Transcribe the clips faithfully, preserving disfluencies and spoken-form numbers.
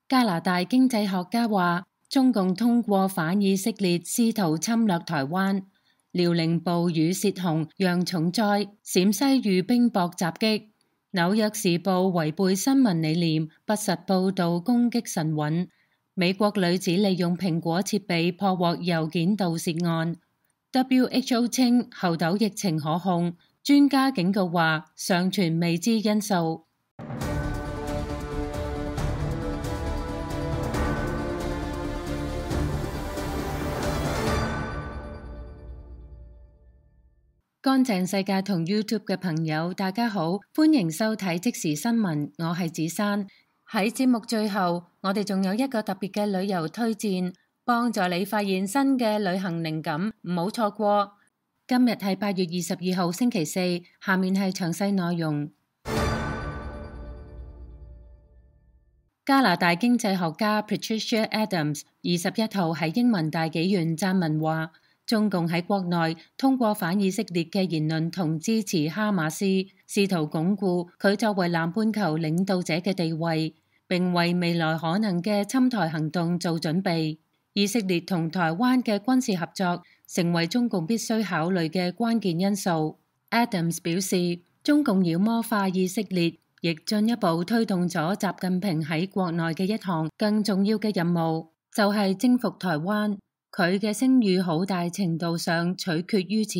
加拿大經濟學家話，中共通過反以色列試圖侵略台灣。遼寧暴雨洩洪釀重災，陝西遇冰雹襲擊。紐約時報違背新聞理念，不實報導攻擊神韻。美國女子利用蘋果設備破獲郵件盜竊案。W H O 稱猴痘疫情可控，專家警告話尚存未知因素。乾淨世界同 YouTube 嘅朋友，大家好，歡迎收睇即時新聞，我係子珊。喺節目最後，我哋仲有一個特別嘅旅遊推薦，幫助你發現新嘅旅行靈感，唔好錯過。今日係八月二十二號星期四，下面係詳細內容。加拿大經濟學家 Patricia Adams 二十一號喺英文大紀元撰文話，中共喺國內通過反以色列嘅言論同支持哈馬斯，試圖鞏固佢作為南半球領導者嘅地位，並為未來可能嘅侵台行動做準備。以色列同台灣嘅軍事合作成為中共必須考慮嘅關鍵因素。Adams 表示，中共妖魔化以色列，亦進一步推動咗習近平喺國內嘅一項更重要嘅任務，就係征服台灣。佢嘅聲譽好大程度上取決於此。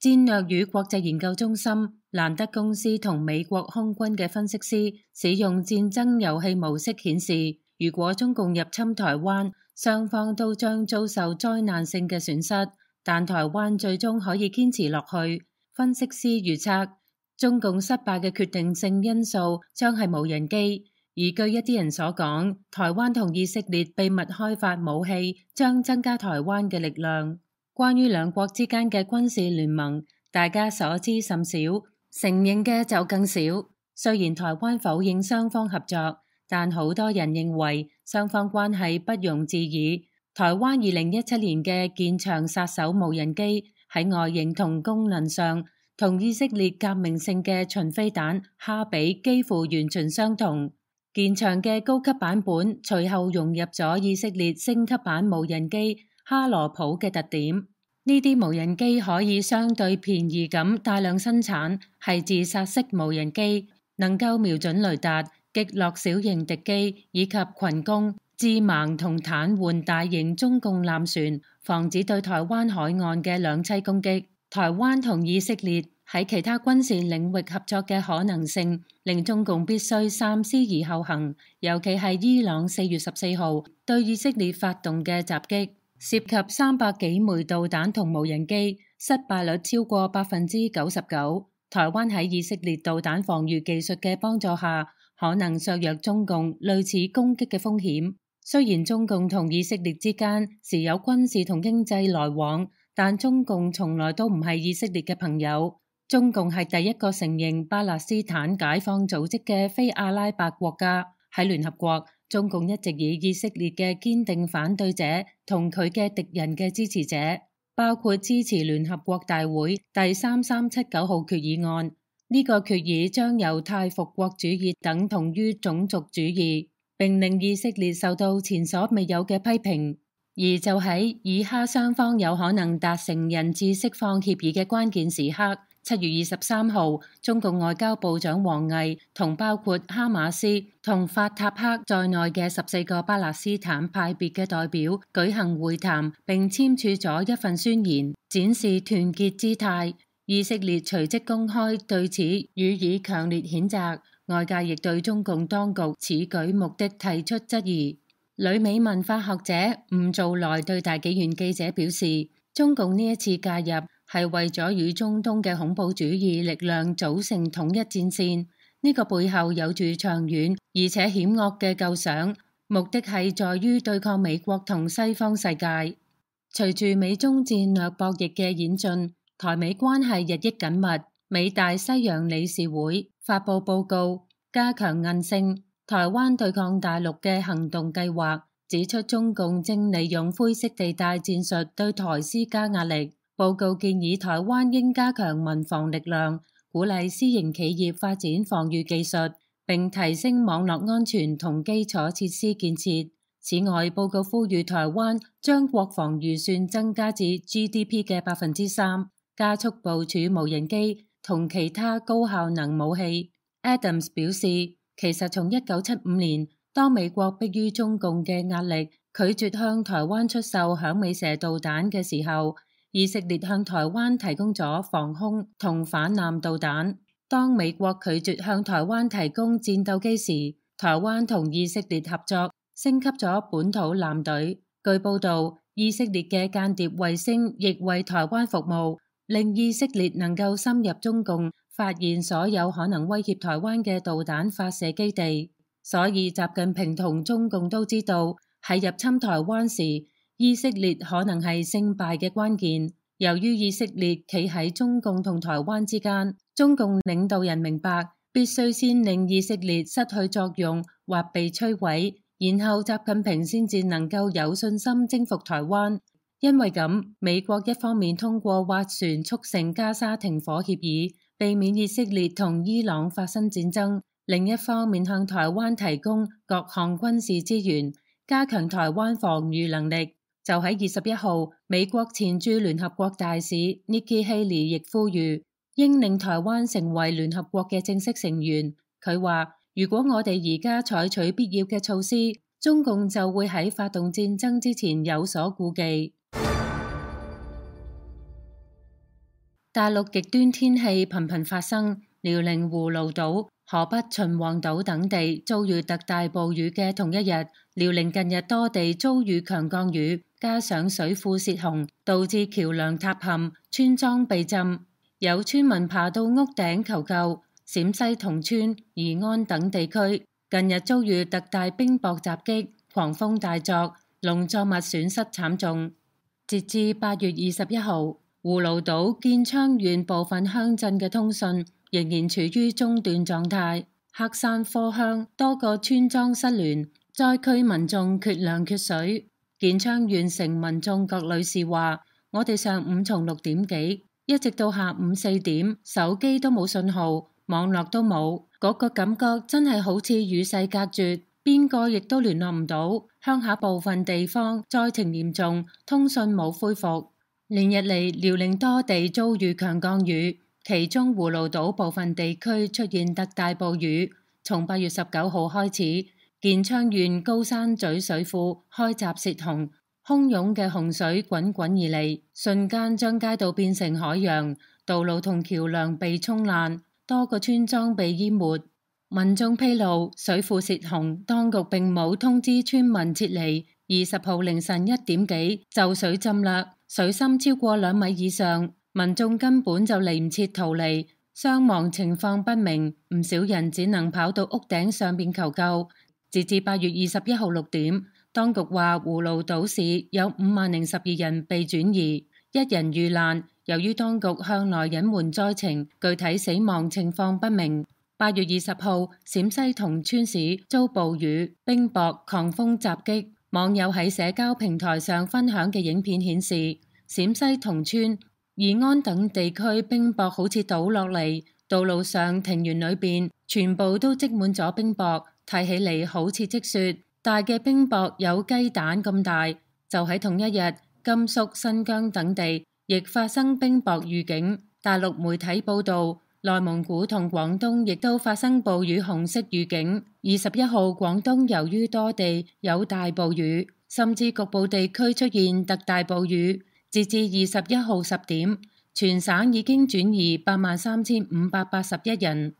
戰略與國際研究中心、蘭德公司同美國空軍嘅分析師使用戰爭遊戲模式顯示，如果中共入侵台灣，雙方都將遭受災難性嘅損失，但台灣最終可以堅持落去。分析師預測，中共失敗嘅決定性因素將係無人機。而據一啲人所講，台灣同以色列秘密開發武器將增加台灣嘅力量。關於兩國之間嘅軍事聯盟，大家所知甚少，承認嘅就更少。雖然台灣否認雙方合作，但好多人認為雙方關係不容置疑。台灣二零一七年嘅艦場殺手無人機喺外形同功能上，同以色列革命性嘅巡飛彈哈比幾乎完全相同。艦場嘅高級版本隨後融入咗以色列升級版無人機哈羅普嘅特點。呢啲無人機可以相對便宜咁大量生產，係自殺式無人機，能夠瞄準雷達、擊落小型敵機以及群攻、致盲同癱瘓大型中共艦船，防止對台灣海岸嘅兩棲攻擊。台灣同以色列喺其他軍事領域合作嘅可能性，令中共必須三思而後行。尤其係伊朗四月十四號對以色列發動嘅襲擊，涉及三百幾枚導彈同無人機，失敗率超過百分之九十九。台灣喺以色列導彈防禦技術嘅幫助下，可能削弱中共類似攻擊嘅風險。雖然中共同以色列之間時有軍事同經濟來往，但中共從來都唔係以色列嘅朋友。中共係第一個承認巴勒斯坦解放組織嘅非阿拉伯國家。喺聯合國，中共一直以以色列嘅堅定反對者同佢嘅敵人嘅支持者，包括支持聯合國大會第三三七九號決議案。呢個決議將猶太復國主義等同於種族主義，並令以色列受到前所未有嘅批評。而就喺以哈雙方有可能達成人質釋放協議嘅關鍵時刻，七月二十三號，中共外交部長王毅同包括哈馬斯同法塔赫在內嘅十四個巴勒斯坦派別嘅代表舉行會談，並簽署咗一份宣言，展示團結姿態。以色列隨即公開對此予以強烈譴責，外界亦對中共當局此舉目的提出質疑。旅美文化學者吳造來對大紀元記者表示，中共呢一次介入係為咗與中東嘅恐怖主義力量組成統一戰線，呢個背後有住長遠而且險惡嘅構想，目的係在於對抗美國同西方世界。隨住美中戰略博弈嘅演進，台美關係日益緊密。美大西洋理事會發布報告，加強韌性台灣對抗大陸嘅行動計劃，指出中共正利用灰色地帶戰術對台施加壓力。報告建議台灣應加強民防力量，鼓勵私營企業發展防禦技術，並提升網絡安全同基礎設施建設。此外，報告呼籲台灣將國防預算增加至 G D P 嘅百分之三，加速部署無人機同其他高效能武器。Adams 表示，其實從一九七五年，當美國迫於中共嘅壓力，拒絕向台灣出售響尾蛇導彈嘅時候，以色列向台灣提供咗防空同反艦導彈。當美國拒絕向台灣提供戰鬥機時，台灣同以色列合作，升級咗本土艦隊。據報導，以色列嘅間諜衛星亦為台灣服務，令以色列能夠深入中共，發現所有可能威脅台灣嘅導彈發射基地。所以習近平同中共都知道，喺入侵台灣時，以色列可能係勝敗嘅關鍵。由於以色列企喺中共同台灣之間，中共領導人明白必須先令以色列失去作用或被摧毀，然後習近平先至能夠有信心征服台灣。因為咁，美國一方面通過斡旋促成加沙停火協議，避免以色列同伊朗發生戰爭，另一方面向台灣提供各項軍事資源，加強台灣防禦能力。就喺二十一號，美國前駐聯合國大使 Nikki Haley 亦呼籲應令台灣成為聯合國嘅正式成員。佢話：如果我哋而家採取必要嘅措施，中共就會喺發動戰爭之前有所顧忌。大陸極端天氣頻頻發生，遼寧葫蘆島、河北秦皇島等地遭遇特大暴雨嘅同一日，遼寧近日多地遭遇強降雨，加上水庫泄洪，導致橋梁塌陷、村莊被浸，有村民爬到屋頂求救。陝西同村、宜安等地區近日遭遇特大冰雹襲擊，狂風大作，農作物損失慘重。截至八月二十一號，葫蘆島建昌縣部分鄉鎮嘅通訊仍然處於中斷狀態，黑山科鄉多個村莊失聯，災區民眾缺糧缺水。建昌縣城民眾郭女士話：我哋上午從六點幾一直到下午四點，手機都冇信號，網絡都冇，嗰個感覺真係好似與世隔絕，邊個亦都聯絡唔到。鄉下部分地方災情嚴重，通訊冇恢復。連日嚟，遼寧多地遭遇強降雨，其中葫蘆島部分地區出現特大暴雨。從八月十九號開始，建昌縣高山咀水庫開閘泄洪，洶湧嘅洪水滾滾而嚟，瞬間將街道變成海洋，道路同橋梁被沖爛，多個村莊被淹沒。民眾披露，水庫泄洪，當局並冇通知村民撤離。二十號凌晨一點幾就水浸啦，水深超過兩米以上，民眾根本就嚟唔切逃離，傷亡情況不明，唔少人只能跑到屋頂上邊求救。截至八月二十一號六點，當局話葫蘆島市有五萬零十二人被轉移，一人遇難。由於當局向來隱瞞災情，具體死亡情況不明。八月二十號，陝西同川市遭暴雨、冰雹、狂風襲擊。網友喺社交平台上分享嘅影片顯示，陝西同村、宜安等地區冰雹好似倒落嚟，道路上、庭園裏邊全部都積滿咗冰雹，睇起嚟好似積雪。大嘅冰雹有雞蛋咁大。就喺同一日，甘肅、新疆等地亦發生冰雹預警。大陸媒體報道，內蒙古同廣東亦都發生暴雨紅色預警。二十一號，廣東由於多地有大暴雨，甚至局部地區出現特大暴雨。截至二十一號十點，全省已經轉移八萬三千五百八十一人。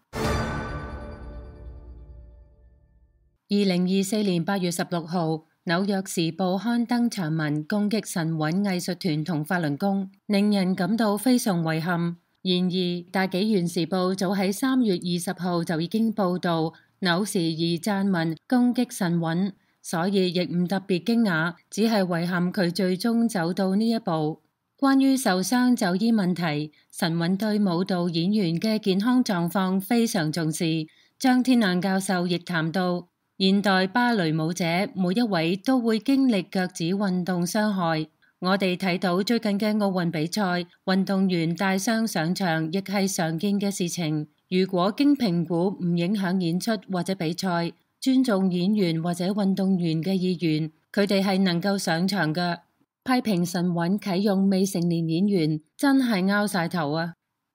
二零二四年八月十六號，紐約時報刊登長文攻擊神韻藝術團同法輪功，令人感到非常遺憾。然而，大紀元時報早喺三月二十號就已經報道紐時而撰文攻擊神韻，所以亦唔特別驚訝，只係遺憾佢最終走到呢一步。關於受傷就醫問題，神韻對舞蹈演員嘅健康狀況非常重視。張天亮教授亦談到，現代芭蕾舞者每一位都會經歷腳趾運動傷害。我哋睇到最近嘅奧運比賽，運動員帶傷上場亦係常見嘅事情。如果經評估唔影響演出或者比賽，尊重演員或者運動員嘅意願，佢哋係能夠上場嘅。批評神韻啟用未成年演員真係拗晒頭啊！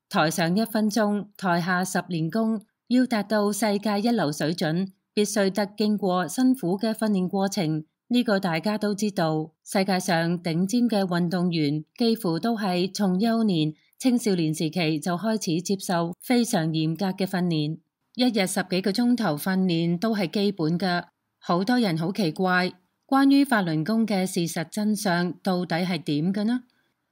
台上一分鐘，台下十年功，要達到世界一流水準，必須得經過辛苦嘅訓練過程。呢個大家都知道。世界上頂尖嘅運動員幾乎都係從幼年、青少年時期就開始接受非常嚴格嘅訓練，一日十幾個鐘頭訓練都係基本㗎。好多人好奇怪，關於法輪功嘅事實真相到底係點嘅呢？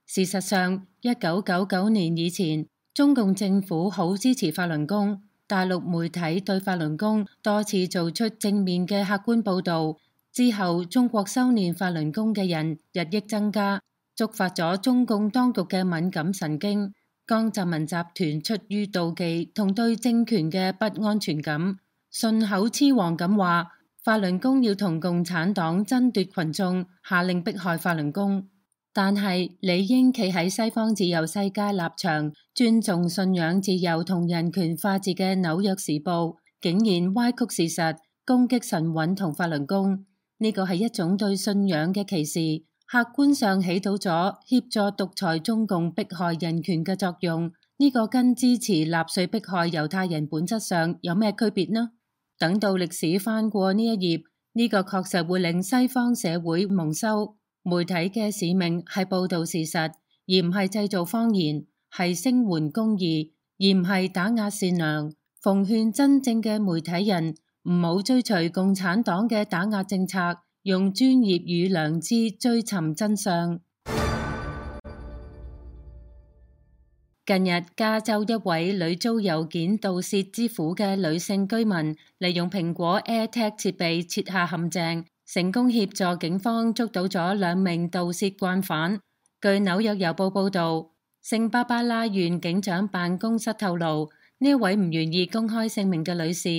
事實上，一九九九年以前，中共政府好支持法輪功，大陸媒體對法輪功多次做出正面嘅客觀報導。之後，中國修煉法輪功嘅人日益增加，觸發咗中共當局嘅敏感神經。江澤民集團出於妒忌同對政權嘅不安全感，順口雌黃咁話法輪功要同共產黨爭奪群眾，下令迫害法輪功。但係理應企喺西方自由世界立場，尊重信仰自由同人權法治嘅紐約時報，竟然歪曲事實，攻擊神韻同法輪功。呢個係一種對信仰嘅歧視，客觀上起到咗協助獨裁中共迫害人權嘅作用。呢個跟支持納粹迫害猶太人本質上有咩區別呢？等到歷史翻過呢一頁，呢個確實會令西方社會蒙羞。媒體嘅使命係報導事實，而唔係製造謊言，係聲援公義，而唔係打壓善良。奉勸真正嘅媒體人，唔好追隨共產黨嘅打壓政策，用專業與良知追尋真相。近日，加州一位女遭郵件盜竊之苦嘅女性居民，利用蘋果 AirTag 設備設下陷阱，成功協助警方捉到咗兩名盜竊慣犯。據紐約郵報報導，聖巴巴拉縣警長辦公室透露，呢位唔願意公開姓名嘅女士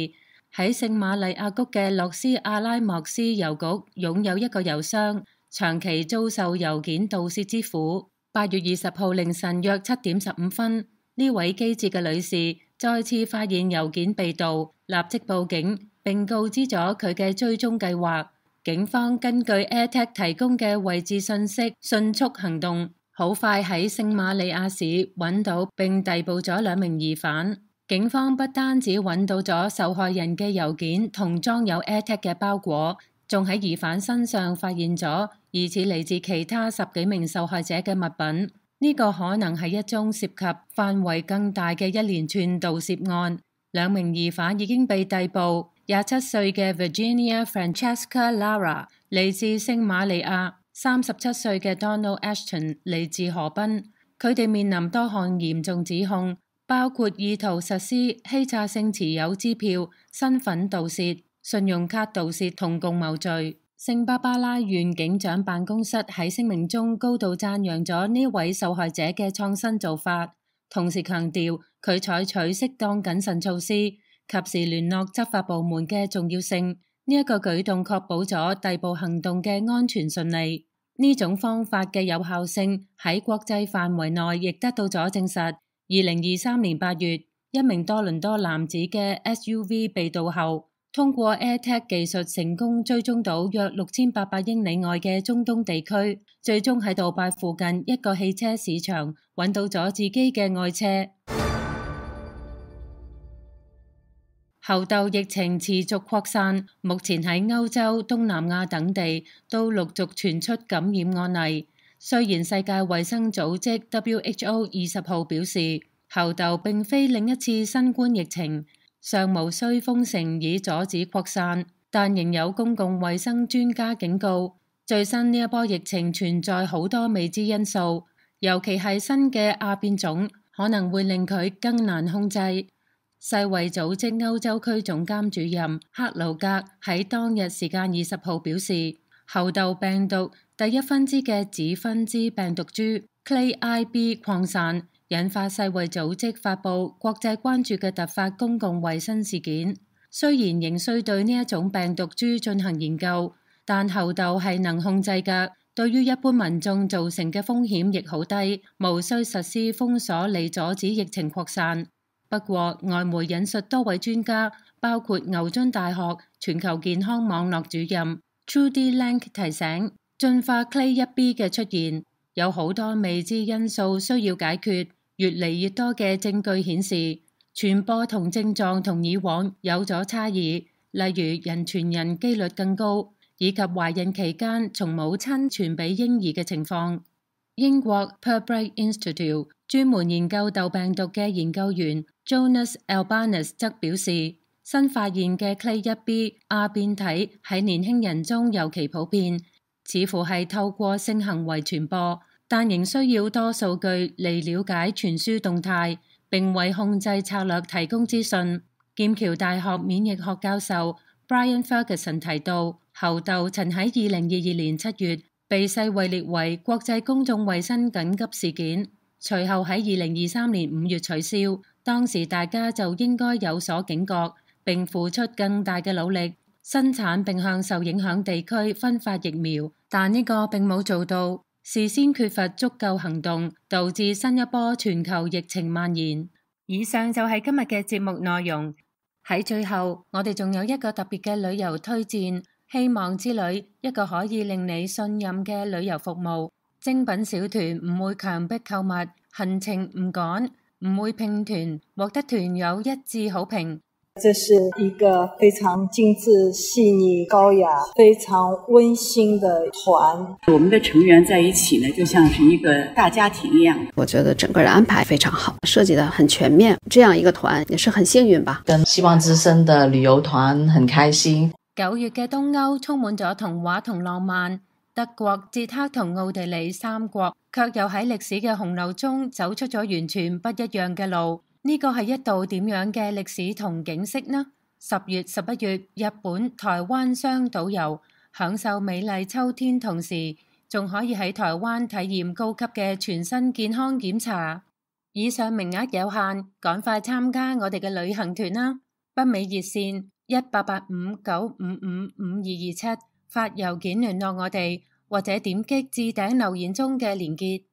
喺聖瑪麗亞谷嘅洛斯阿拉莫斯郵局擁有一個郵箱，長期遭受郵件盜竊之苦。八月二十號凌晨約七點十五分，呢位機智嘅女士再次發現郵件被盜，立即報警並告知咗佢嘅追蹤計劃。警方根據 AirTag 提供嘅位置信息迅速行動，好快喺聖瑪利亞市揾到並逮捕咗兩名疑犯。警方不單止揾到咗受害人嘅郵件同裝有 AirTag 嘅包裹，仲喺疑犯身上發現咗疑似嚟自其他十幾名受害者嘅物品。呢個可能係一宗涉及範圍更大嘅一連串盜竊案。兩名疑犯已經被逮捕，廿七歲嘅 Virginia Francesca Lara 嚟自聖瑪利亞，三十七歲嘅 Donald Ashton 嚟自河濱。佢哋面臨多項嚴重指控，包括意圖實施欺詐性持有支票、身份盜竊、信用卡盜竊同共謀罪。聖巴巴拉縣警長辦公室喺聲明中高度讚揚咗呢位受害者嘅創新做法，同時強調佢採取適當謹慎措施，及時聯絡執法部門嘅重要性。呢一個舉動確保咗逮捕行動嘅安全順利。呢種方法嘅有效性喺國際範圍內亦得到咗證實。二零二三年八月，一名多倫多男子嘅 S U V 被盜後，通過 AirTag 技術成功追蹤到約六千八百英里外嘅中東地區，最終喺杜拜附近一個汽車市場揾到咗自己嘅愛車。猴痘疫情持續擴散，目前喺歐洲、東南亞等地都陸續傳出感染案例。雖然世界衛生組織 W H O 二十號表示，猴痘並非另一次新冠疫情，尚無需封城以阻止擴散，但仍有公共衛生專家警告，最新呢一波疫情存在好多未知因素，尤其係新嘅亞變種可能會令佢更難控制。世衛組織歐洲區總監主任克魯格喺當日時間二十號表示，猴痘病毒第一分支嘅子分支病毒株 Clade I B 擴散，引發世衛組織發布國際關注嘅突發公共衛生事件。雖然仍需對呢一種病毒株進行研究，但猴痘係能控制嘅，對於一般民眾造成嘅風險亦好低，無需實施封鎖嚟阻止疫情擴散。不過，外媒引述多位專家，包括牛津大學全球健康網絡主任 Trudy Lang 提醒，進化 Clade 一 B 嘅出現有好多未知因素需要解決。越嚟越多嘅證據顯示，傳播同症狀同以往有咗差異，例如人傳人機率更高，以及懷孕期間從母親傳俾嬰兒嘅情況。英國 Purbright Institute 專門研究竇病毒嘅研究員 Jonas Albanus 則表示，新發現嘅 Clade 一 B 亞變體喺年輕人中尤其普遍，似乎係透過性行為傳播，但仍需要多數據嚟了解傳輸動態，並為控制策略提供資訊。劍橋大學免疫學教授 Brian Ferguson 提到，猴痘曾喺二零二二年七月被世衛列為國際公眾衛生緊急事件，隨後喺二零二三年五月取消。當時大家就應該有所警覺，並付出更大嘅努力，生產並向受影響地區分發疫苗，但呢個並冇做到。事先缺乏足夠行動，導致新一波全球疫情蔓延。以上就係今日嘅節目內容。喺最後，我哋仲有一個特別嘅旅遊推薦，希望之旅，一個可以令你信任嘅旅遊服務。精品小團唔會強迫購物，行程唔趕，唔會拼團，獲得團友一致好評。這是一個非常精緻、細膩、高雅、非常溫馨的團。我們的成員在一起呢，就像是一個大家庭一樣。我覺得整個的安排非常好，設計得很全面。這樣一個團也是很幸運吧。跟希望之聲的旅遊團很開心。九月嘅東歐充滿咗童話同浪漫，德國、捷克同奧地利三國卻又喺歷史嘅洪流中走出咗完全不一樣嘅路。呢個係一道點樣嘅歷史同景色呢？十月、十一月，日本、台灣雙島遊，享受美麗秋天，同時仲可以喺台灣體驗高級嘅全身健康檢查。以上名額有限，趕快參加我哋嘅旅行團啦！北美熱線一八八五九五五五二二七，發郵件聯絡我哋，或者點擊置頂留言中嘅連結。